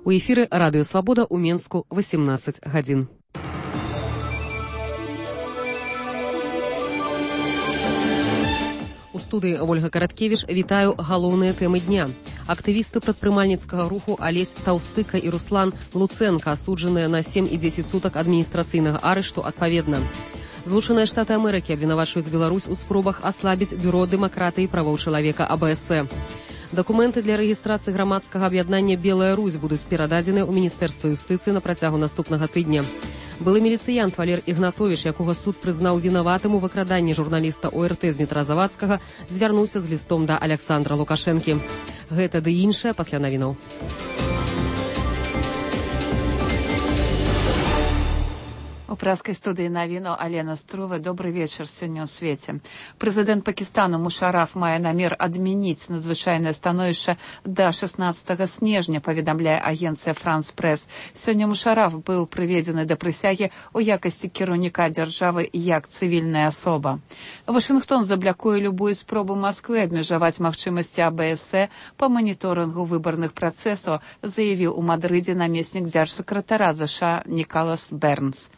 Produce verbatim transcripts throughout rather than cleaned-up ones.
У эфіры Радыё Свабода ў Менску восемнадцать гадзін. У студыі Ольга Караткевіч вітаю галоўныя тэмы дня. Актывісты прадпрымальніцкага руху Алесь Таўстыка і Руслан Луцэнка асуджаныя на сем і дзесяць сутак адміністрацыйнага арышту адпаведна. Злучаныя Штаты Амерыкі абвінавачваюць Беларусь у спробах аслабіць бюро дэмакратыі і правоў чалавека А Б С Э. Дакументы для рэгістрацыі грамадскага аб'яднання «Белая Русь» будуць перададзены ў Міністэрства юстыцыі на працягу наступнага тыдня. Былы міліцыянт Валер Ігнатовіч, якога суд прызнаў вінаватым у выкраданні журналіста О Р Т з метра Завадскага, звярнуўся з лістом да Аляксандра Лукашэнкі. Гэта ды іншае пасля навінаў. У праскай студыі навіну Алена Струва. Добрый вечар сёння ў свеце. Прэзідэнт Пакістану Мушараф мае намер адмяніць надзвычайнае становішча да шаснаццатага снежня, паведамляе агенцыя Франс Прэс. Сёння Мушараф быў прыведзены да прысягі ў якасці кіраўніка дзяржавы як цывільная асоба. Вашынгтон заблякуе любую спробу Масквы абмежаваць магчымасці А Б С Э па маніторынгу выбарных працэсаў, заявіў у Мадрыдзе намеснік дзяржсакратара З Ш А Нікалас Бернс.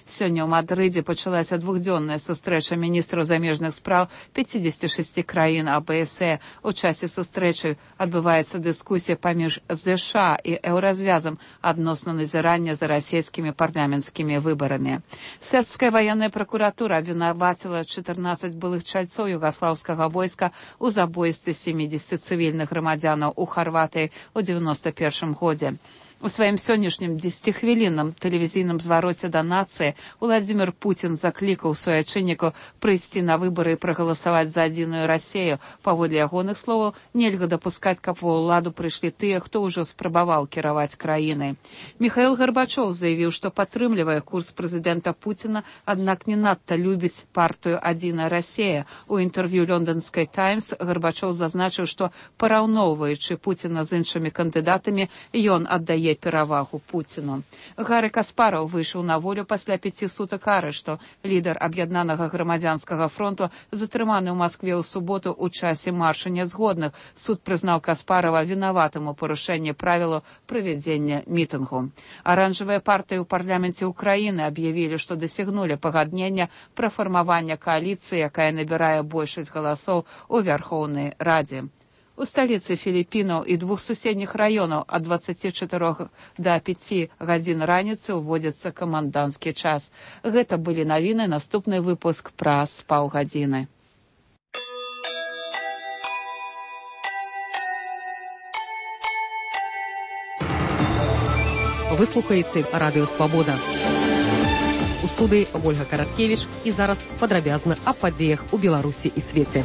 Сёння ў Мадрыдзе пачалася двухдзённая сустрэча міністраў замежных спраў пяцідзесяці шасці краін А Б С Э. У часе сустрэчы адбываецца дыскусія паміж З Ш А і Еўразвязам адносна назірання за расійскімі парламенцкімі выбарамі. Сербская ваенная пракуратура абвінаваціла чатырнаццаць былых чальцоў югаслаўскага войска ў забойстве сямідзесяці цывільных грамадзянаў у Харватыі ў дзевяноста першым годзе. У сваім сённяшнім дзесяцихвілінным тэлевізійным звароце да нацыі Владзімір Пуцін заклікаў суайчыннікаў прыйсці на выбары і прагаласаваць за адзіную Расію. Паводле ягоных словаў, нельга дапускаць, каб ва ўладу прыйшлі тыя, хто ўжо спрабаваў кіраваць краінай. Міхаіл Гарбачоў заявіў, што падтрымлівае курс прэзідэнта Пуціна, аднак не надта любіць партыю «Адзіная Расія». У інтэрв'ю «Лондонскай Таймс» Гарбачоў зазначыў, што параўноўваючы Пуціна з іншымі кандыдатамі, ён аддае перавагу Пуціну. Гары Каспараў выйшаў на волю пасля пяці сутак арышту. Лідар аб'яднанага грамадзянскага фронту затрыманы ў Маскве ў суботу ў часе марша нязгодных. Суд прызнаў Каспарава вінаватым у парушэнні правілаў правядзення мітынгу. Аранжавыя партыі ў парламенце Украіны аб'явілі, што дасягнулі пагаднення пра фармаванне кааліцыі, якая набірае большасць галасоў у Вярхоўнай Радзе. У сталіцы Філіппінаў і двух суседніх раёнаў ад дваццаці чатырох да пяці гадзін раніцы ўводзіцца каманданскі час. Гэта былі навіны, наступны выпуск праз паўгадзіны. Вы слухаеце Радыё Свабода. У студыі Ольга Караткевіч і зараз падрабязна аб падзеях у Беларусі і свеце.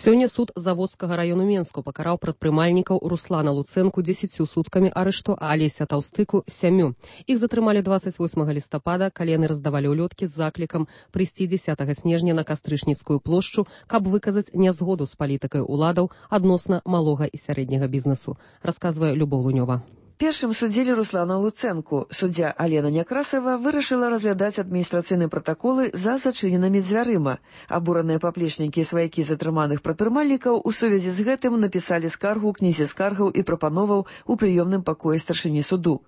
Сёння суд Заводскага раёну Менску пакараў прадпрымальнікаў Руслана Луцэнку дзесяццю суткамі арышту, а Алеся Таўстыку сямю. Іх затрымалі дваццаць восьмага лістапада, калі яны раздавалі ўлёткі з заклікам прыйсці дзесятага снежня на Кастрычніцкую плошчу, каб выказаць нязгоду з палітыкай уладаў адносна малога і сярэдняга бізнесу, расказвае Любоў Лунёва. Першым судзілі Руслана Луцэнку. Суддзя Алена Някрасава вырашыла разглядаць адміністрацыйныя пратаколы за зачыненымі дзвярыма. Абураныя паплечнікі і сваякі затрыманых прадпрымальнікаў у сувязі з гэтым напісалі скаргу ў кнізе скаргаў і прапановаў у прыёмным пакоі старшыні суду.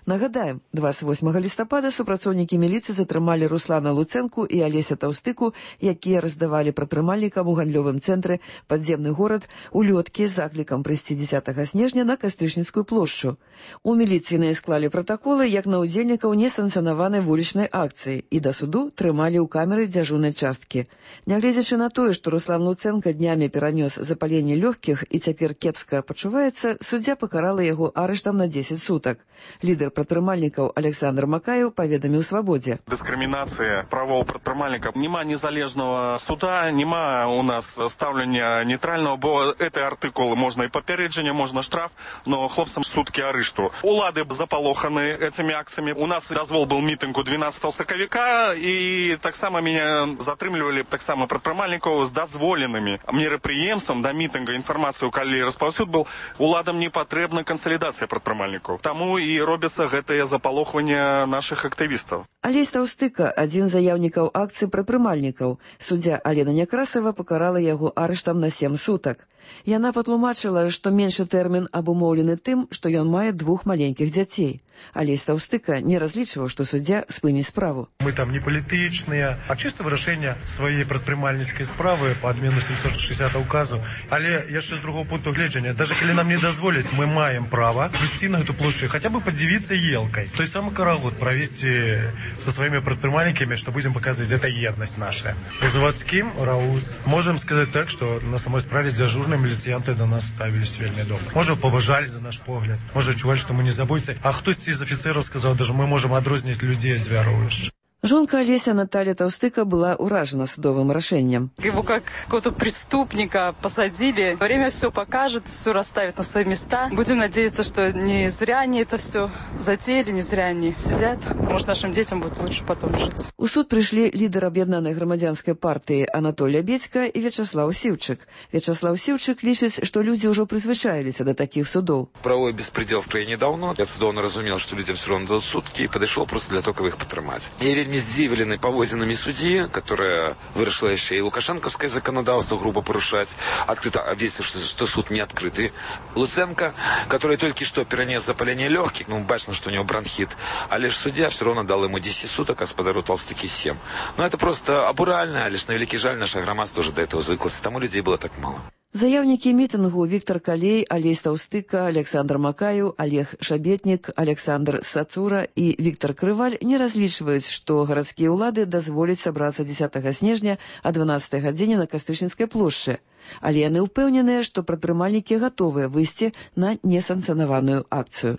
Нагадаем, дваццаць восьмага лістапада супрацоўнікі міліцыі затрымалі Руслана Луцэнку і Алеся Таўстыку, якія раздавалі прадпрымальнікам у гандлёвым цэнтры «Падземны горад» улёткі з заклікам прыйсці дзесятага снежня на Кастрычніцкую плошчу. У міліцыйныя склалі пратаколы як на ўдзельнікаў несанкцыянаванай вулічнай акцыі і да суду трымалі ў камеры дзяжурнай часткі. Нягледзячы на тое, што Руслан Луцэнка днямі перанёс запаленне лёгкіх і цяпер кепска пачуваецца, суддзя пакарала яго арыштам на дзесяць сутак. Лідар прадпрымальнікаў Александр Макаеў паведаміў Свабодзе. Дыскрымінацыя правоў прадпрымальнікаў. Нема незалежного суда, нема у нас стаўлення нейтрального, бо эти артыкулы можна і папярэджанне, можна штраф, но хлопцам суткі арышту. Улады запалоханы этими акциями. У нас дазвол был мітынгу двенадцатого сакавіка, і таксама меня затрымлівалі таксама прадпрымальнікаў з дазволенымі мерапрыемствам да мітынга. Інфармацыю, калі распаўсюд был, уладам не патрэбна кансалідацыя прадпрымальнікаў. Таму і робяць робіцца гэтае запалохванне нашых актывістаў. Алесь Таўстыка, адзін з заяўнікаў акцыі прадпрымальнікаў. Суддзя Алена Някрасава пакарала яго арыштам на сем сутак. Яна патлумачыла, што меншы тэрмін абумоўлены тым, што ён мае двух маленькіх дзяцей. Алесь Таўстыка не разлічваў, што суддзя спыніць справу. Мы там не палітычныя, а чыста вырашэнне сваёй прадпрымальніцкай справы па адмену сямсот шэсцідсятага указу. Але яшчэ з другого пункту гледжання, даже калі нам не дазволяць, мы маем права прыйсці на гэту плошчу, хаця бы падзівіцца елкай. Той самы карагод правесці со сваімі прадпрымальнікамі, што будзем паказваць, гэта еднасць наша. По заводскім раус можам сказаць так, што на самой справе дзяжурныя міліцыянты да нас ставіліся вельмі добра. Можа, паважалі за наш погляд, можа, чувалі, што мы не забойцы, а хтосьці з афіцэраў сказаў, даже мы можам адрозніць людзей ад звяровішча. Жонка Алеся Наталья Таўстыка была уражена судовым решением. Его как какого-то преступника посадили. Время все покажет, все расставит на свои места. Будем надеяться, что не зря они это все затеяли, не зря они сидят. Может, нашим детям будет лучше потом жить. У суд пришли лидер Объединенной громадянской партии Анатолий Лябедько и Вячеслав Сивчик. Вячеслав Сивчик лічыць, что люди уже призвычаились до таких судов. Правовой беспредел в краине давно. Я судовно разумел, что людям все равно дадут сутки, и подошел просто для того, чтобы их потримать. Я вельми здзивлены паводзінамі судьи, которая вырашила еще и лукашенковское законодавство грубо порушать, открыто обвесивши, что суд не открытый. Луценко, который только что перенес запаление легких, ну, бачно, что у него бронхит, а лишь судья все равно дал ему десять суток, а господару Толстыки семь. Но это просто абурально, лишь на великий жаль, наша громадство уже до этого звыклось, и тому людей было так мало. Заяўнікі мітынгу Віктор Калей, Алесь Таўстыка, Александр Макаю, Олег Шабетнік, Александр Сацура і Віктор Крываль не разлічваюць, што гарадскія ўлады дазволяць сабрацца дзесятага снежня а дванаццатай гадзіне на Кастрычніцкай плошчы. Але яны ўпэўненыя, што прадпрымальнікі гатовыя выйсці на несанкцыянаваную акцыю.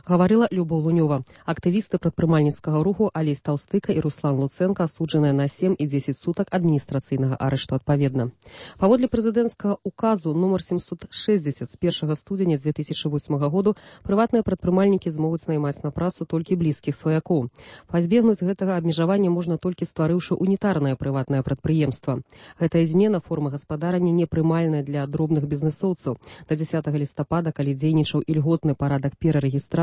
Говорила Любов Лунёва. Активисты прадпрымальніцкага руху Алесь Таўстыка и Руслан Луценко асуджаныя на семь и десять суток адміністрацыйнага арышту адпаведна. Паводле прэзідэнцкага указу номер семьсот шестьдесят з першага студзеня две тысячи восьмага году прыватныя прадпрымальнікі змогуць наймаць на працу толькі блізкіх сваякоў. Пазбегнуць гэтага абмежавання можна толькі стварыўшы унітарнае прыватнае прадпрыемства. Гэтая змена формы гаспадарання непрымальная для дробных бізнесоўцаў. До дзесятага лістапада, калі дзейнічаў ільготны парадак перарэгістрацыі,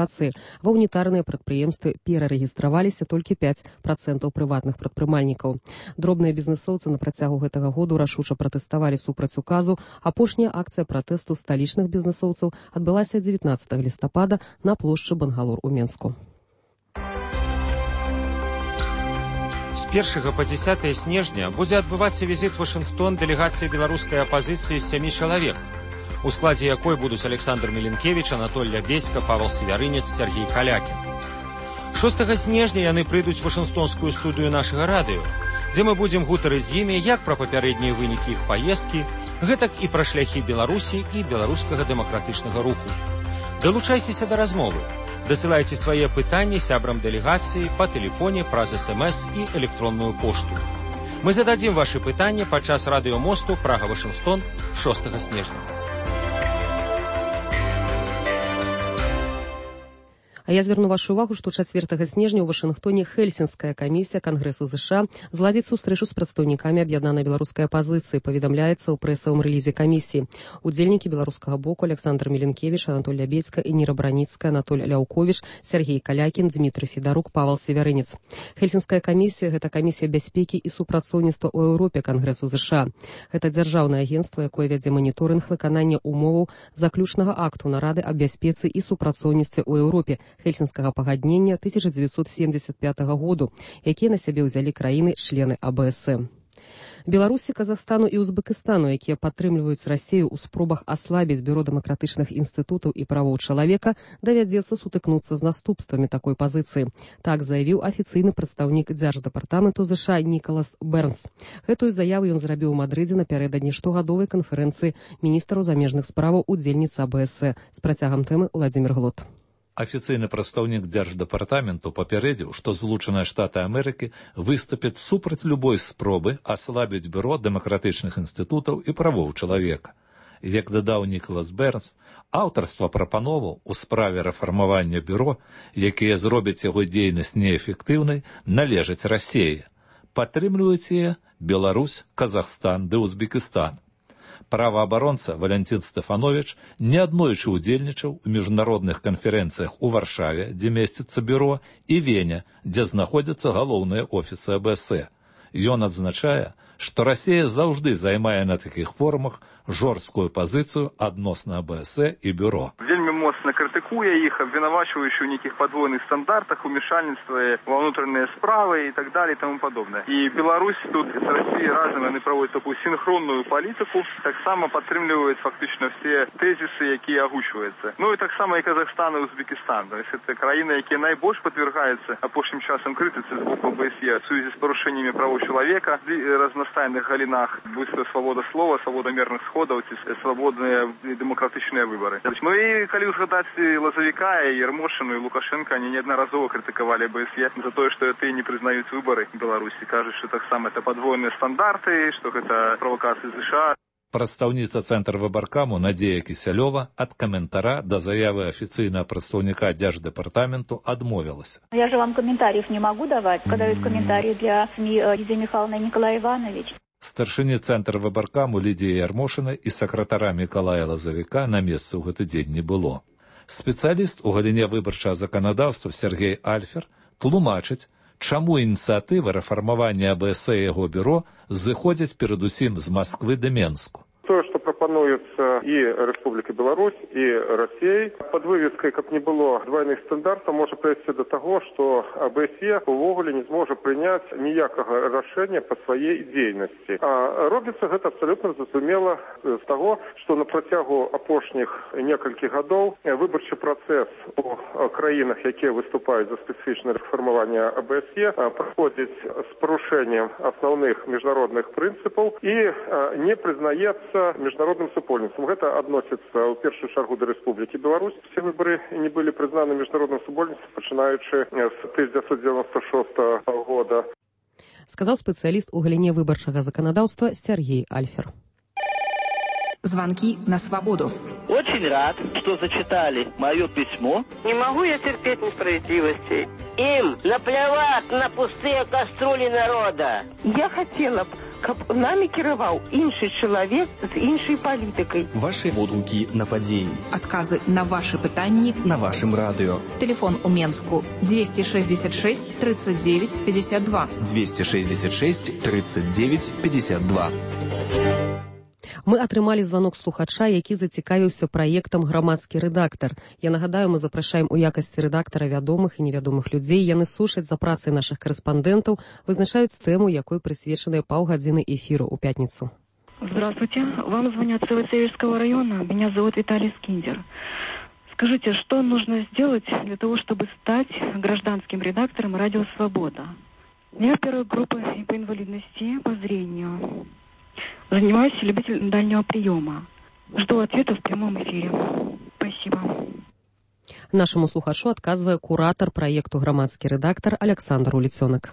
ва унітарныя прадпрыемствы перарэгістраваліся толькі пять процентаў прыватных прадпрымальнікаў. Дробныя бізнесоўцы на працягу гэтага году рашуча пратэставалі супраць указу. Апошняя акцыя пратэсту сталічных бізнесоўцаў адбылася дзевятнаццатага лістапада на плошчы Бангалор у Менску. З першага па дзесятае снежня будзе адбывацца візіт у Вашынгтон дэлегацыі беларускай апазіцыі з сямі чалавек, у складзе якой будуць Александр Міленкевіч, Анатоль Лябедько, Павел Свяврынец, Сергей Калякін. шостага снежня яны прыйдуць у Вашынгтонскую студыю нашага радыё, дзе мы будзем гутарыць з імі як пра папярэднія вынікі іх паездкі, гэтак і пра шляхі Беларусі і беларускага дэмакратычнага руху. Далучайцеся да размовы. Дасылайце свае пытанні сябрам дэлегацыі па тэлефоне праз эс эм эс і электронную пошту. Мы зададзім вашы пытанні падчас радыёмосту Прага-Вашынгтон шостага снежня. А я звярну вашу увагу, што чацвёртага снежня ў Вашынгтоне Хельсінская камісія Кангрэсу ЗША зладзіць сустрэчу з прадстаўнікамі аб'яднанай беларускай апазіцыі, паведамляецца ў прэсавым рэлізе камісіі. Удзельнікі беларускага боку Александр Міленкевіч, Анатоль Лябедько, Эніра Браніцкая, Анатоль Ляўковіч, Сергей Калякін, Дмітрый Федарук, Павел Свяврынец. Хельсінская камісія – гэта камісія бяспекі і супрацоўніцтва ў Еўропе Кангрэсу ЗША. Гэта дзяржаўнае агенцтва, якое вядзе маніторынг выканання умоваў заключнага акту нарады аб бяспецы і супрацоўніцтве ў Еўропе Хельсінскага пагаднення тысяча девятьсот семьдесят пятого году, якія на сябе ўзялі краіны-члены а бэ эс эм. Беларусі, Казахстану і Узбекістану, якія падтрымліваюць Расію ў спробах аслабіць бюро дэмакратычных інстытутаў і правоў чалавека, давядзецца сутыкнуцца з наступствамі такой пазіцыі. Так заявіў афіцыйны прадстаўнік дзярждэпартаменту ЗША Нікалас Бернс. Гэтую заяву ён зрабіў у Мадрыдзе напярэдадні штогадовай канферэнцыі міністраў замежных справаў удзельніц а бэ эс э. З працягам тэмы Владзімір Глот. Афіцыйны прадстаўнік дзярждэпартаменту папярэдзіў, што Злучаныя Штаты Амерыкі выступяць супраць любой спробы аслабіць бюро дэмакратычных інстытутаў і правоў чалавека. Як дадаў Нікалас Бернс, аўтарства прапановаў у справе рэфармавання бюро, якія зробяць яго дзейнасць неэфектыўнай, належаць Расіі. Падтрымліваюць яе Беларусь, Казахстан ды Узбекістан. Праваабаронца Валентин Стэфанович неаднойчы ўдзельнічаў у міжнародных канферэнцыях у Варшаве, дзе месціцца бюро, і Вене, дзе знаходзяцца галоўныя офісы а бэ эс э. Ён адзначае, што Расія заўжды займае на такіх форумах жорсткую пазіцыю адносна а бэ эс э і бюро. Вельмі моцна крытыкуе іх, абвінавачваючы ў нейкіх падвойных стандартах, умешальніцтве ва ўнутраныя справы і так далее і таму падобнае. І Беларусь тут з Расіяй разам яны праводзяць такую синхронную палітыку, таксама падтрымліваюць фактычна все тэзісы, якія агучваюцца. Ну і таксама і Казахстан і Узбекістан. То есть это краіны, якія найбольш падвяргаюцца апошнім часам крытыцы з боку а бэ эс е в сувязі з парушэннямі правоў чалавека, разнастайных галінах, будь то свабода слова, свабода мірных сходаў ці свабодныя дэмакратычныя выбары. Ну і калі узгадаць Лазавіка, і Ярмошыну, і Лукашенка, они неаднаразова крытыкавалі а бэ эс е за тое, што яны не прызнаюць выбары Беларусі, кажуць, што таксама это падвойныя стандарты, што гэта правакацыі США. Прадстаўніца Цэнтр выбаркаму Надзея Кісялёва ад каментара да заявы афіцыйнага прадстаўніка Дзярждэпартаменту адмовілася. Я же вам комментариев не могу давать, когда есть комментарии для СМИ Лидии Михайловны и Николая Ивановича. Старшыні Цэнтр выбаркаму Лідіі Ярмошына і сакратара Мікалая Лазавіка на месцы ў гэты дзень не было. Спецыяліст у галіне выбарчага заканадаўства Сергей Альфер тлумачыць, чаму ініцыятывы рэфармавання а бэ эс э і яго бюро зыходзяць перадусім з Масквы да Менску. То, что пропонуется и Республика Беларусь, и Россией, под вывеской, как не было двойных стандартов, может привести до того, что а бэ эс е увогуле не сможет принять ніякого решения по своей деятельности. А робится это абсолютно зразумело з того, что на протягу апошніх некалькіх годов выборчий процесс у краинах, які выступают за специфичное реформирование а бэ эс е, проходит с порушением основных международных принципов и не признается международным супольніцтвам. Гэта адносіцца ў першую чаргу да Рэспублікі Беларусь. Все выборы не былі прызнаны міжнародным супольніцтвам, пачынаючы з тысяча девятьсот девяносто шестого года. Сказаў спецыяліст у галіне выбарчага заканадаўства Сергей Альфер. Звонки на свободу. Очень рад, что зачитали мое письмо. Не могу я терпеть несправедливости. Им наплевать на пустые кастрюли народа. Я хотела б, каб нами кіраваў іншы чалавек з іншай палітыкай. Ваши водгукі на падзеі. Адказы на ваши пытанні на вашым радыё. Телефон у Менску двести шестьдесят шесть тридцать девять пятьдесят два. двести шестьдесят шесть тридцать девять пятьдесят два. Мы атрымалі званок слухача, які зацікавіўся праектам «Грамадскі рэдактар». Я нагадаю, мы запрашаем у якасці рэдактара вядомых і невядомых людзей. Яны слушаць за працай нашых корэспандэнтаў, вызначаюць тэму, якой прысвечаныя паўгадзіны эфіру ў пятніцу. Здравствуйте. Вам звонят с Северского района. Меня зовут Виталий Скиндер. Скажите, что нужно сделать для того, чтобы стать гражданским редактором «Радио Свобода»? Я первая группа по инвалидности, по зрению. Занимаюсь любителем дальнего приема. Жду ответа в прямом эфире. Спасибо. Нашему слухачу адказвае куратор праекту «Грамадскі рэдактар» Александр Уліцёнак.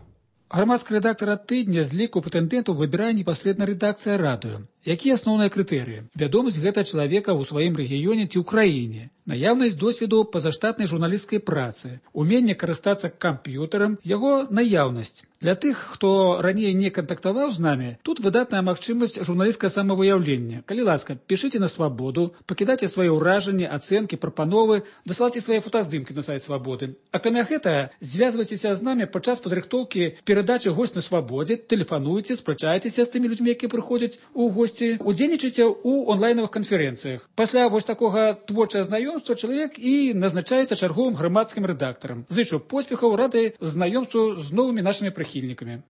Грамадскі рэдактар ад тыдня з ліку патэнтэнтаў выбірае непасрэдна рэдакцыя радыё. Якія асноўныя крытэрыі? Вядомасць гэта чалавека ў сваім рэгіёне ці ў краіне, наяўнасць досведу пазаштатнай журналісцкай працы, уменне карыстацца камп'ютарам, яго наяўнасць. Для тых, хто раней не кантактаваў з намі, тут выдатная магчымасць журналісцкае самавыяўлення. Калі ласка, пішыце на Свабоду, пакідайце свае ўражанні, ацэнкі, прапановы, дасылайце свае фотаздымкі на сайт Свабоды. Акрамя гэтага, звязвайцеся з намі падчас падрыхтоўкі перадачы «Госць на Свабодзе», тэлефануйце, спрачайцеся з тымі людзьмі, якія прыходзяць у госці, удзельнічайце ў онлайнавых канферэнцыях. Пасля вось такога творчага знаёмства чалавек і назначаецца чарговым грамадскім рэдактарам. Зычу поспехаў, рады знаёмству з новымі нашымі прыхільнікамі.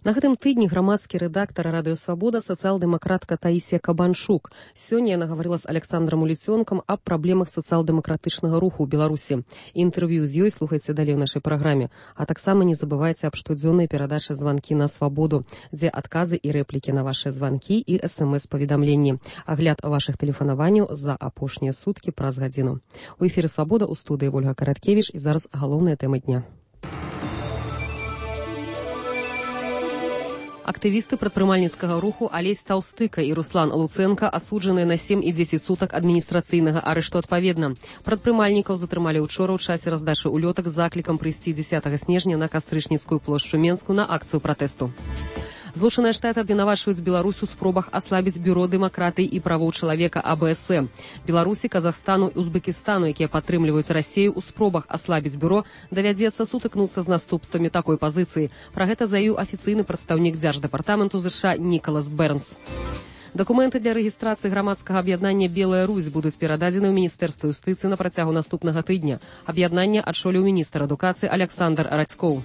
На гэтым тыдні грамадскі рэдактар «Радыё Свабода» сацыял-дэмакратка Таісія Кабаншук. Сёння яна гаварыла з Александром Уліцёнкам аб праблемах сацыял-дэмакратычнага руху ў Беларусі. Інтэрв'ю з ёй слухайце далей у нашай праграме. А таксама не забывайце аб штодзённай перадачы «Званкі на Свабоду», дзе адказы і рэплікі на вашыя званкі і эс эм эс-паведамленні. Агляд вашых тэлефанаванняў за апошнія суткі праз гадзіну. У эфіры «Свабода» у студыі Вольга Караткевіч і зараз галоўная тэма дня. Актывісты прадпрымальніцкага руху Алесь Таўстыка і Руслан Луценка асуджаныя на сем і дзесяць сутак адміністрацыйнага арышту адпаведна. Прадпрымальнікаў затрымалі ўчора ў часе раздачы улётак з заклікам прыйсці дзесятага снежня на Кастрычніцкую плошчу Менску на акцыю пратэсту. Злучаныя Штаты абвінавачваюць Беларусь у спробах аслабіць бюро дэмакратыі і правоў чалавека А Бэ Эс Э. Беларусі, Казахстану і Узбекістану, якія падтрымліваюць Расею ў спробах аслабіць бюро, давядзецца сутыкнуцца з наступствамі такой пазіцыі. Пра гэта заявіў афіцыйны прадстаўнік Дзярждэпартаменту ЗША Нікалас Бернс. Дакументы для рэгістрацыі грамадскага аб'яднання «Белая Русь» будуць перададзены ў Міністэрства юстыцыі на працягу наступнага тыдня. Аб'яднанне адшоліў міністр адукацыі Александр Радзькоў.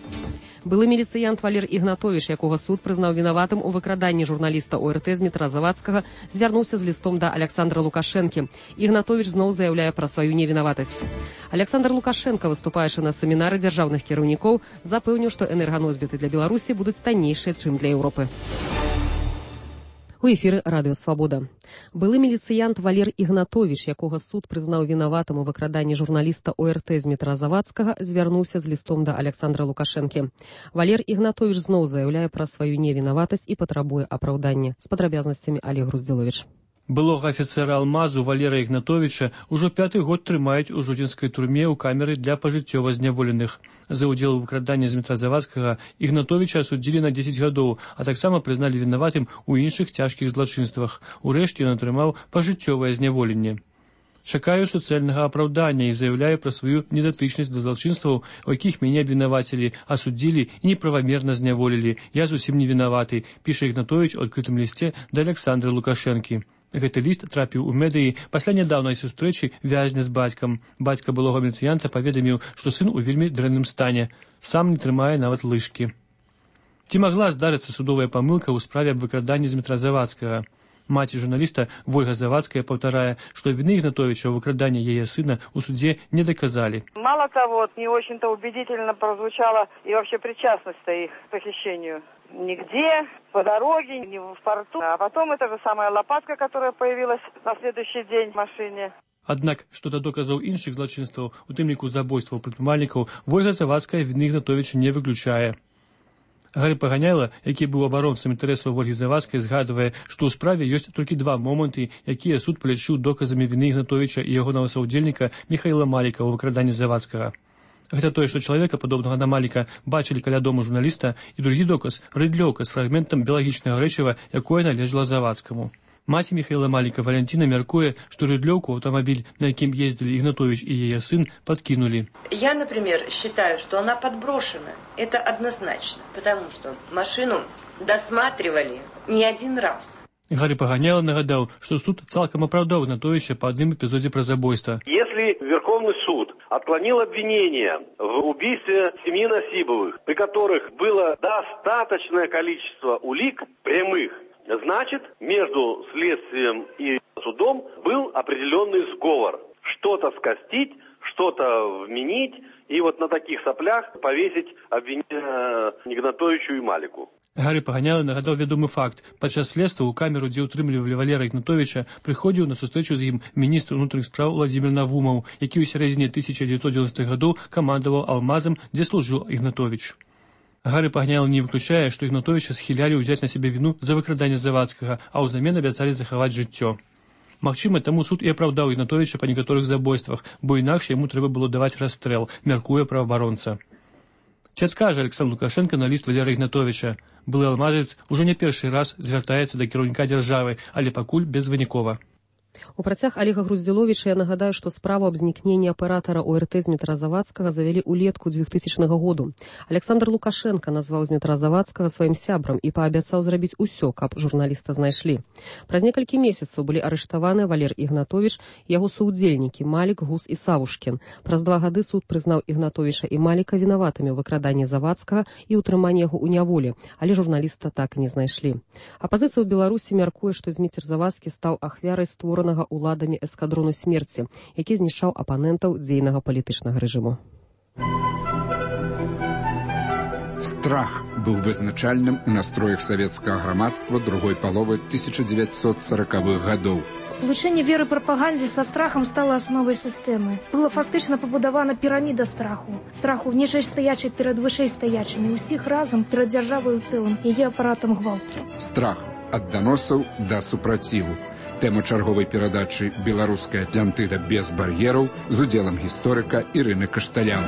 Былы міліцыянт Валер Ігнатовіч, якога суд прызнаў вінаватым у выкраданні журналіста О Р Т Змітра Завадскага, звярнуўся з лістом да Александра Лукашэнкі. Ігнатовіч зноў заяўляе пра сваю невінаватасць. Александр Лукашенко, выступаючы на семінары дзяржаўных кіраўнікоў, запэўніў, што энерганосьбіты для Беларусі будуць таннейшыя, чым для Еўропы. У эфіры Радыё Свабода. Былы міліцыянт Валер Ігнатовіч, якога суд прызнаў вінаватым у выкраданні журналіста О Р Т Змітра Завадскага, звярнуўся з лістом да Александра Лукашэнкі. Валер Ігнатовіч зноў заяўляе пра сваю невінаватасць і патрабуе апраўдання. З падрабязнасцямі Олег Груздзіловіч. Былога афіцэра Алмазу Валера Ігнатовіча ўжо пяты год трымаюць у жодзінскай турме ў камеры для пажыццёва зняволеных. За ўдзел у выкраданні Змітра Завадскага Ігнатовіча асудзілі на дзесяць гадоў, а таксама прызналі вінаватым у іншых цяжкіх злачынствах. Урэшце ён атрымаў пажыццёвае зняволенне. Чакаю суцэльнага апраўдання і заяўляю пра сваю недатычнасць да злачынстваў, у якіх мяне абвінавацілі, асудзілі і неправамерна зняволілі. Я зусім не вінаваты, піша Ігнатовіч у адкрытым лісце да Александра Лукашэнкі. Гэты ліст трапіў у медыі пасля нядаўнай сустрэчы вязня з бацькам. Бацька былога міліцыянта паведаміў, што сын у вельмі дрэнным стане. Сам не трымае нават лыжкі. Ці магла здарыцца судовая памылка ў справе аб выкраданні Змітра Завадскага? Маці журналіста Вольга Завадская паўтарае, што вины Игнатовича в выкрадании ее сына у суде не доказали. Мало того, не очень-то убедительно прозвучала и вообще причастность их к похищению. Нигде, по дороге, не в порту. А потом эта же самая лопатка, которая появилась на следующий день в машине. Аднак, што да доказаў іншых злачынстваў, у тым ліку забойстваў прадпрымальнікаў, Вольга Завадская вины Игнатовича не выключае. Гары Паганяйла, які быў абаронцам інтарэсаў Вольгі Завадскай, згадвае, што ў справе ёсць толькі два моманты, якія суд палічыў доказамі вины Игнатовича і ягонага саўдзельніка Міхаіла Маліка ў выкраданні Завадскага. Гэта тое, што чалавека, падобнага на Маліка, бачылі каля дому журналіста, і другі доказ – рыдлёўка з фрагментам біялагічнага рэчыва, якое належала Завадскаму. Маці Михаила Малика Валентина мяркуе, что рыдлёўку автомобиль, на якім ездили Игнатович и ее сын, подкинули. Я, например, считаю, что она подброшена. Это однозначно, потому что машину досматривали не один раз. Гары Паганяйла нагадал, что суд цалкам оправдал Игнатовича по одним эпизоде про забойство. Если Верховный суд отклонил обвинение в убийстве семьи Насибовых, при которых было достаточное количество улик прямых, значит, между следствием и судом был определенный сговор. Что-то скостить, что-то вменить, и вот на таких соплях повесить обвинение Игнатовичу и Малику. Гары Паганяйла нагадаў вядомы факт. Падчас следства ў камеру, дзе ўтрымлівалі Валера Игнатовича, прыходзіў на сустрэчу з ім міністр унутраных спраў Владзімір Навумаў, які ў сярэдзіне тысяча дзевятьсот девяностых гадоў камандаваў Алмазам, дзе служыў Игнатович. Гары Паганяйла не выключае, што Игнатовича схілялі ўзяць на сябе віну за выкраданне Завадскага, а ўзамен абяцалі захаваць жыццё. Магчыма, таму суд і апраўдаў Игнатовича па некаторых забойствах, бо інакш яму трэба было даваць расстрэл, мяркуе праваабаронца. Ці адкажа Александр Лукашенко на ліст Валера Игнатовича? Былы алмазец уже не першы раз звяртаецца да кіраўніка дзяржавы, але пакуль безвынікова. У працяг Олега Груздзіловіча я нагадаю, што справу аб знікненні аператара О Р Т Змітра Завадскага завялі ўлетку двухтысячнага году. Александр Лукашенко назваў Змітра Завадскага сваім сябрам і паабяцаў зрабіць усё, каб журналіста знайшлі. Праз некалькі месяцаў былі арыштаваны Валер Игнатович, яго саўдзельнікі Малік, Гус і Савушкін. Праз два гады суд прызнаў Игнатовича і Маліка вінаватымі ў выкраданні Завадскага і ўтрыманні яго ў няволі, але журналіста так і не знайшлі. Апазіцыя ў Беларусі мяркуе, што Зміцер Завадскі стаў ахвярай створанага уладамі эскадрону смерці, які знішчаў апанентаў дзейнага палітычнага рэжыму. Страх быў вызначальным у настроях савецкага грамадства другой паловы тысяча девятьсот сороковых гадоў. Сполучэнне веры прапагандзе са страхам стала асновай сістэмы. Была фактычна пабудавана піраміда страху. Страху нижэйстаячых перад вышэйстаячымі, усіх разам перад дзяржавай у цэлым, яе апаратам гвалту. Страх ад даносаў да супраціву. Тэма чарговай перадачы «Беларуская Атлантыда без бар'ераў» з удзелам гісторыка Ірыны Кашталян.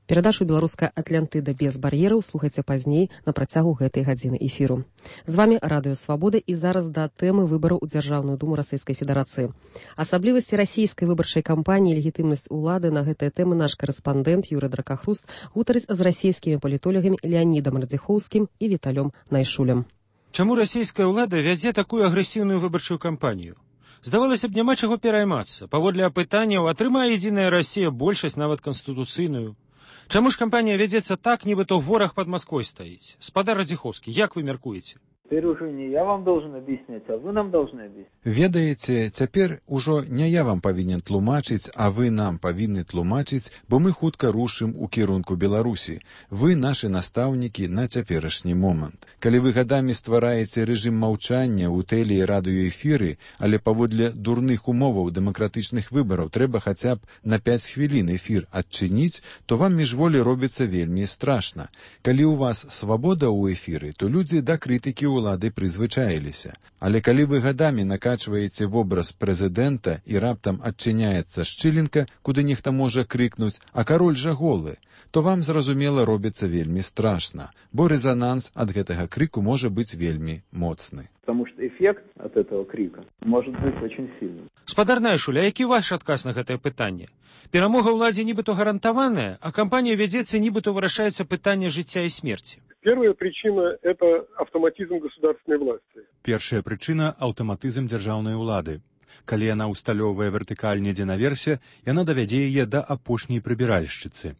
Перадачу «Беларуская Атлантыда без бар'ераў» слухайце пазней на працягу гэтай гадзіны эфіру. З вами Радыё Свабода і зараз да тэмы выбараў у Дзяржаўную думу Расійскай Федэрацыі. Асаблівасці расійскай выбарчай кампаніі, легітымнасць улады, на гэтыя тэмы наш карэспандэнт Юрый Дракахруст гутарыць з расійскімі палітолагамі Леанідам Радзіхоўскім і Віталём Найшулем. Чаму расійская ўлада вядзе такую агрэсіўную выбарчую кампанію? Здавалася б, няма чаго пераймацца. Паводле апытанняў, атрымае Единая Расія большасць, нават канстытуцыйную. Чаму ж кампанія вядзецца так, нібыто вораг пад Масквой стаіць? Спадар Радзіхоўскі, як вы мяркуеце? Теперь уже не я вам должен объяснять, а вы нам должны объяснить. Ведаеце, цяпер ужо не я вам павінен тлумачыць, а вы нам павінны тлумачыць, бо мы хутка рушым у кірунку Беларусі. Вы нашы настаўнікі на цяперашні момант. Калі вы гадамі ствараеце рэжым маўчання ў тэле- і радыёэфіры, але паводле дурных умоваў дэмакратычных выбараў трэба хаця б на пяць хвілін эфір адчыніць, то вам міжволі робіцца вельмі страшна. Калі ў вас свабода ў эфіры, то людзі да крытыкі улады прызвычаіліся. Але калі вы гадамі накачваеце вобраз прэзідэнта і раптам адчыняецца шчылінка, куды нехта можа крыкнуць, а кароль жа голы, то вам, зразумела, робіцца вельмі страшна, бо рэзананс ад гэтага крыку можа быць вельмі моцны. Потому что эффект от этого крика может быть очень сильным. Спадар Найшуль, а які ваш адказ на гэтае пытанне? Перамога ўладзе нібыто гарантаваная, а кампанія вядзецца, нібыто вырашаецца пытанне жыцця і смерці. Первая причина – это автоматизм государственной власти. Першая причина – аўтаматызм дзяржаўнай улады. Калі яна усталёўвае вертыкаль недзе наверсе, яна давядзе яе да апошняй прыбіральшчыцы.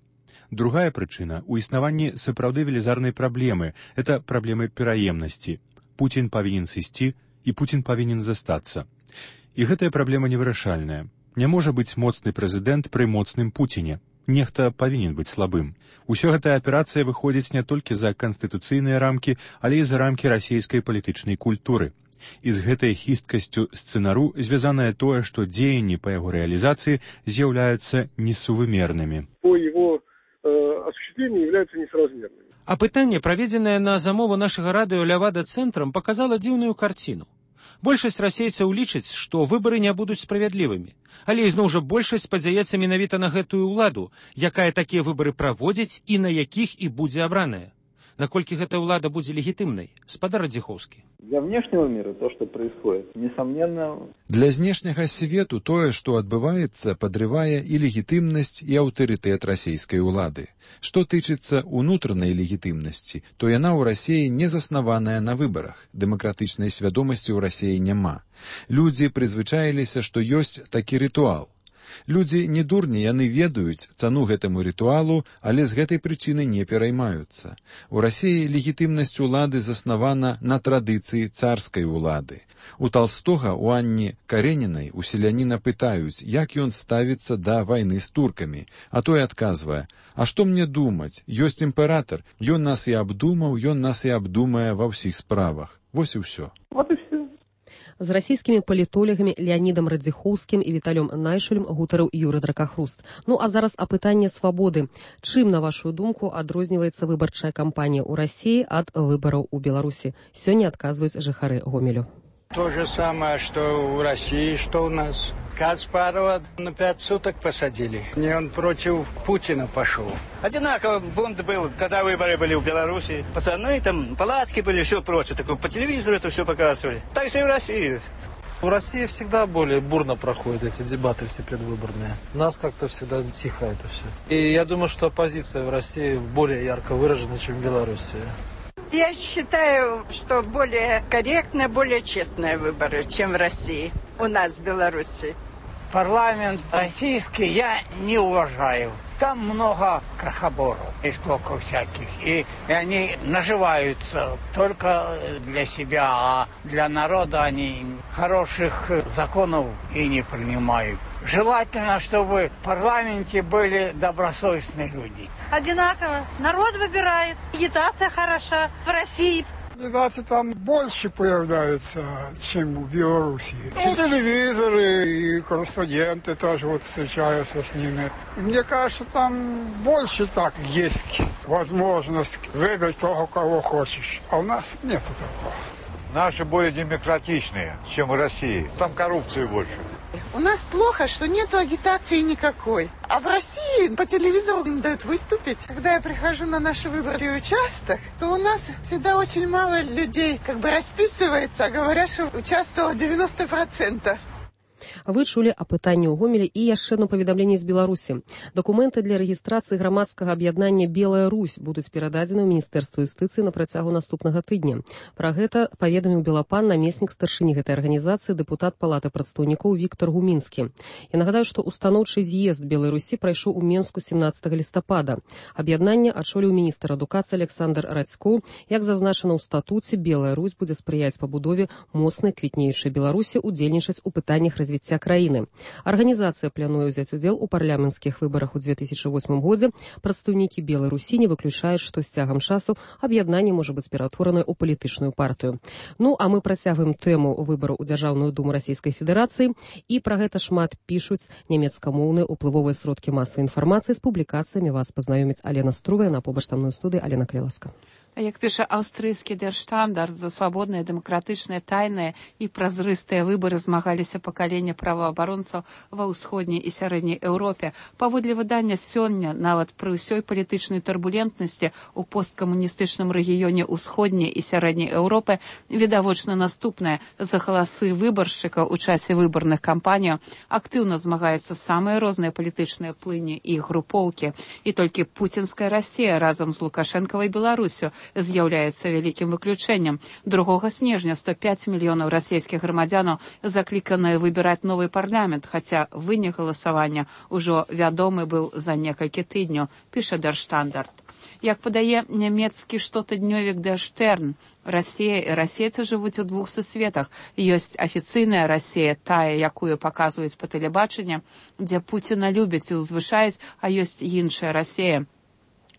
Другая прычына – у існаванні сапраўды велізарнай праблемы – это праблемы пераемнасці. Путін павінен сысці, і Путін павінен застацца. І гэтая праблема невырашальная. Не можа быць моцны прэзідэнт пры моцным Пуціне. Нехта павінен быць слабым. Усё гэтая аперацыя выходзіць не толькі за канстытуцыйныя рамкі, але і за рамкі расійскай палітычнай культуры. І з гэтай хісткасцю сцэнару звязанае тое, што дзеянні па яго рэалізацыі з'яўляюцца несувымернымі. По его э, осуществлению являются несоразмерными. А пытанне, праведзенае на замову нашага радыё Лявада-цэнтрам, паказала дзіўную карціну. Большасць расейцаў лічыць, што выбары не будуць справядлівымі. Але ізноў жа большасць спадзяецца менавіта на гэтую ўладу, якая такія выбары праводзіць і на якіх і будзе абраная. Наколькі гэта ўлада будзе легітымнай? Спадар Радзіхоўскі. Для внешнего мира то, что происходит, несомненно... Для знешняга свету тое, што адбываецца, падрывае і легітымнасць, і аўтарытэт расійскай улады. Што тычыцца унутранай легітымнасці, то яна ў Расіі не заснаваная на выбарах. Дэмакратычнай свядомасці ў Расіі няма. Людзі прызвычаіліся, што ёсць такі рытуал. Людзі не дурні, яны ведаюць цану гэтаму рытуалу, але з гэтай прычыны не пераймаюцца. У Расіі легітымнасць улады заснавана на традыцыі царскай улады. У Талстога, у Анні Каренінай, у селяніна пытаюць, як ён ставіцца да вайны з туркамі, а той адказвае: «А што мне думаць? Ёсць імператар, ён нас і абдумаў, ён нас і абдумае ва ўсіх справах». Вось і ўсё. Вот і все. З расійскімі палітолагамі Леанідам Радзіхоўскім і Віталём Найшулем гутарыў Юрый Дракахруст. Ну а зараз апытанне свабоды. Чым, на вашу думку, адрозніваецца выбарчая кампанія ў Расіі ад выбараў у Беларусі? Сёння адказваюць жыхары Гомелю. То же самое, что у России, что у нас. Каспарова на пять суток посадили. Не он против Путина пошел. Одинаково бунт был, когда выборы были в Беларуси. Пацаны, там палатки были, все прочее. Такое, по телевизору это все показывали. Так же и в России. В России всегда более бурно проходят эти дебаты все предвыборные. У нас как-то всегда тихо это все. И я думаю, что оппозиция в России более ярко выражена, чем в Беларуси. Я считаю, что более корректные, более честные выборы, чем в России. У нас в Беларуси. Парламент российский я не уважаю. Там много крохоборов и сколько всяких. И, и они наживаются только для себя, а для народа они хороших законов и не принимают. Желательно, чтобы в парламенте были добросовестные люди. Одинаково. Народ выбирает. Агитация хороша в России. Кандидаты там больше появляются, чем в Беларуси. И телевизоры, и корреспонденты тоже вот встречаются с ними. Мне кажется, там больше так есть возможность выбрать того, кого хочешь. А у нас нет такого. Наши более демократичные, чем в России. Там коррупции больше. У нас плохо, что нету агитации никакой. А в России по телевизору им дают выступить. Когда я прихожу на наш выборный участок, то у нас всегда очень мало людей как бы расписывается, а говорят, что участвовало девяносто процентов. Вы чулі апытанне ў Гомелі і яшчэ одно паведамленне з Беларусі. Дакументы для рэгістрацыі грамадскага аб'яднання «Белая Русь» будуць перададзены ў Міністэрства юстыцыі на працягу наступнага тыдня. Пра гэта паведаміў Белапан намеснік старшыні гэтай арганізацыі дэпутат Палаты прадстаўнікоў Віктор Гумінскі. Я нагадаю, што устаноўчы з'езд Белай Русі прайшоў у Менску семнаццатага лістапада. Аб'яднанне адчоліў міністр адукацыі Александр Радзько. Як зазначана ў статуце, Белая Русь будзе спрыяць пабудове моцнай квітнеючай Беларусі, удзельнічаць у пытаннях развіцця краіны. Арганізацыя плануе ўзяць удзел у парламенцкіх выбарах у две тысячи восьмым годзе. Прадстаўнікі Белай Русі не выключаюць, што з цягам часу аб'яднанне можа быць ператворанае ў палітычную партыю. Ну, а мы працягваем тэму выбараў у Дзяржаўную думу Расійскай Федэрацыі, і пра гэта шмат пішуць нямецкамоўныя уплывовыя сродкі масавай інфармацыі. З публікацыямі вас пазнаёміць Алена Струвая на побач са мной у студыі. Алена, калі ласка. Як піша аўстрыйскі Der Standard, за свабодныя, дэмакратычныя, тайныя і празрыстыя выбары змагаліся пакаленне праваабаронцаў ва ўсходняй і сярэдняй Еўропе. Паводле выдання сёння, нават пры ўсёй палітычнай турбулентнасці ў посткамуністычным рэгіёне ўсходняй і сярэдняй Еўропы відавочна наступнае. За галасы выбаршчыкаў у часе выбарных кампаніяў актыўна змагаюцца самыя розныя палітычныя плыні і групоўкі. І толькі пуцінская Расія разам з Лукашэнкавай Беларусю з'яўляецца вялікім выключэннем. другога снежня сто пяць мільёнаў расійскіх грамадзянаў закліканыя выбіраць новы парламент, хаця вынік галасавання ўжо вядомы быў за некалькі тыдняў, піша Der Standard. Як падае нямецкі штотыднёвік Der Stern, Расія і расейцы жывуць у двух сусветах. Ёсць афіцыйная Расія, тая, якую паказваюць па тэлебачанні, дзе Пуціна любяць і ўзвышаюць, а ёсць іншая Расія.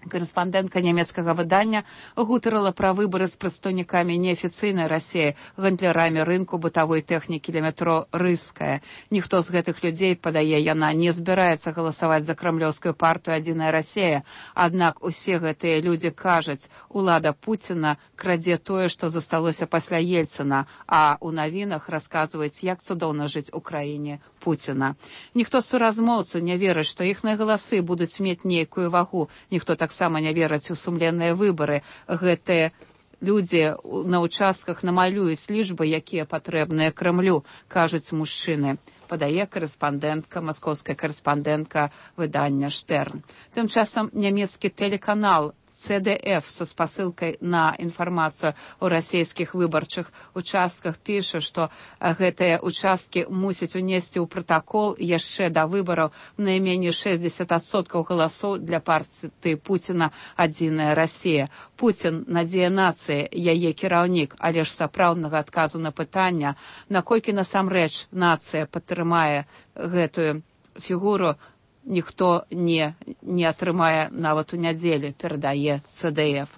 Карэспандэнтка нямецкага выдання гутарыла пра выбары з прадстаўнікамі неафіцыйнай Расіі, гандлярамі рынку бытавой тэхнікі ля метро «Рыская». Ніхто з гэтых людзей, падае яна, не збіраецца галасаваць за крамлёўскую партыю «Адзіная Расія». Аднак усе гэтыя людзі кажуць, улада Пуціна крадзе тое, што засталося пасля Ельцына, а ў навінах расказваюць, як цудоўна жыць у краіне Пуціна. Ніхто з суразмоўцаў не верыць, што іхныя галасы будуць мець нейкую вагу. Ніхто таксама не вераць у сумленныя выбары. Гэтыя людзі на участках намалююць лічбы, якія патрэбныя Крэмлю, кажуць мужчыны. Падае карэспандэнтка, маскоўская карэспандэнтка выдання Штерн. Тым часам нямецкі тэлеканал Цэ Дэ Эф са спасылкай на інфармацыю о расійскіх выбарчых участках піша, што гэтыя участкі мусяць унесці ў пратакол яшчэ да выбараў найменей шэсцьдзесят адсоткаў галасоў для партыі Пуціна «Адзіная Расія». Пуцін – надзея нацыі, яе кіраўнік, але ж сапраўднага адказу на пытання, наколькі насамрэч нацыя падтрымае гэтую фігуру, ніхто не, не атрымае нават у нядзелю, перадае Цэ Дэ Эф.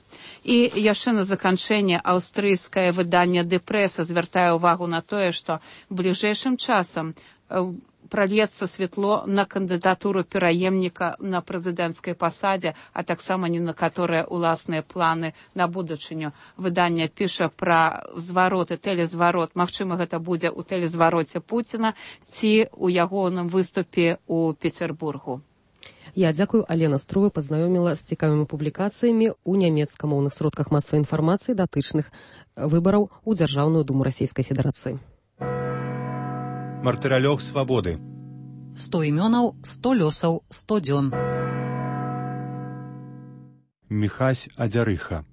І яшчэ на заканчэнне аўстрыйскае выданне «Ді Прэса» звяртае ўвагу на тое, што бліжэйшым часам прольецца святло на кандыдатуру пераемніка на прэзідэнцкай пасадзе, а таксама не на каторыя ўласныя планы на будучыню. Выданне піша пра звароты, тэлезварот. Магчыма, гэта будзе ў тэлезвароце Пуціна ці ў ягоным выступе ў Петербургу. Я дзякую. Алена Струва пазнаёміла з цікавымі публікацыямі ў нямецкамоўных сродках масавай інфармацыі датычных выбараў у Дзяржаўную думу Расійскай Федэрацыі. Мартыралёг свабоды. сто імёнаў, сто лёсаў, сто дзён. Міхась Адзярыха.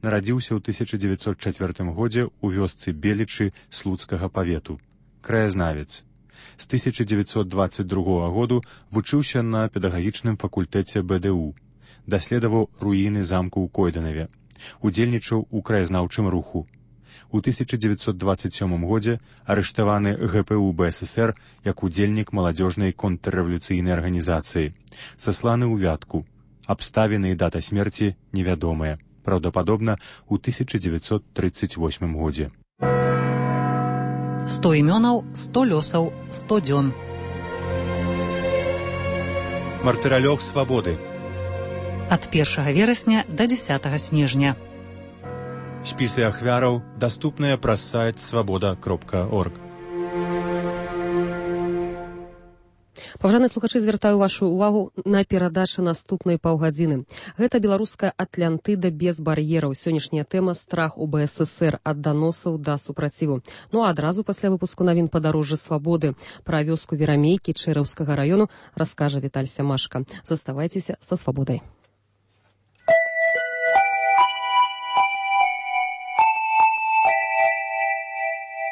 Нарадзіўся ў тысяча дзевяцьсот чацвёртым годзе ў вёсцы Белічы Слуцкага павету. Краязнавец. З тысяча дзевяцьсот дваццаць другога году вучыўся на педагагічным факультэце Бэ Дэ У. Даследаваў руіны замку ў Койданаве. Удзельнічаў у краязнаўчым руху. У тысяча дзевяцьсот дваццаць сёмым годзе арыштаваны Гэ Пэ У Бэ Эс Эс Эр як удзельнік маладзёжнай контррэвалюцыйнай арганізацыі. Сасланы ў Вятку. Абставіны і дата смерці невядомыя. Праўдападобна, у тысяча дзевяцьсот трыццаць восьмым годзе. сто імёнаў, сто лёсаў, сто дзён. Мартыралёг свабоды. Ад першага верасня да дзесятага снежня. Спісы ахвяраў даступныя праз сайт свабода кропка орг. Паважаныя слухачы, звяртаю вашу увагу на перадачу наступнай паўгадзіны. Гэта беларуская Атлантыда без бар'ераў. Сённяшняя тэма страх у БССР ад даносаў да супраціву. Ну а адразу пасля выпуску навін падарожжа свабоды пра вёску Верамейкі Чэраўскага раёну раскажа Віталь Сямашка. Заставайцеся са свабодай.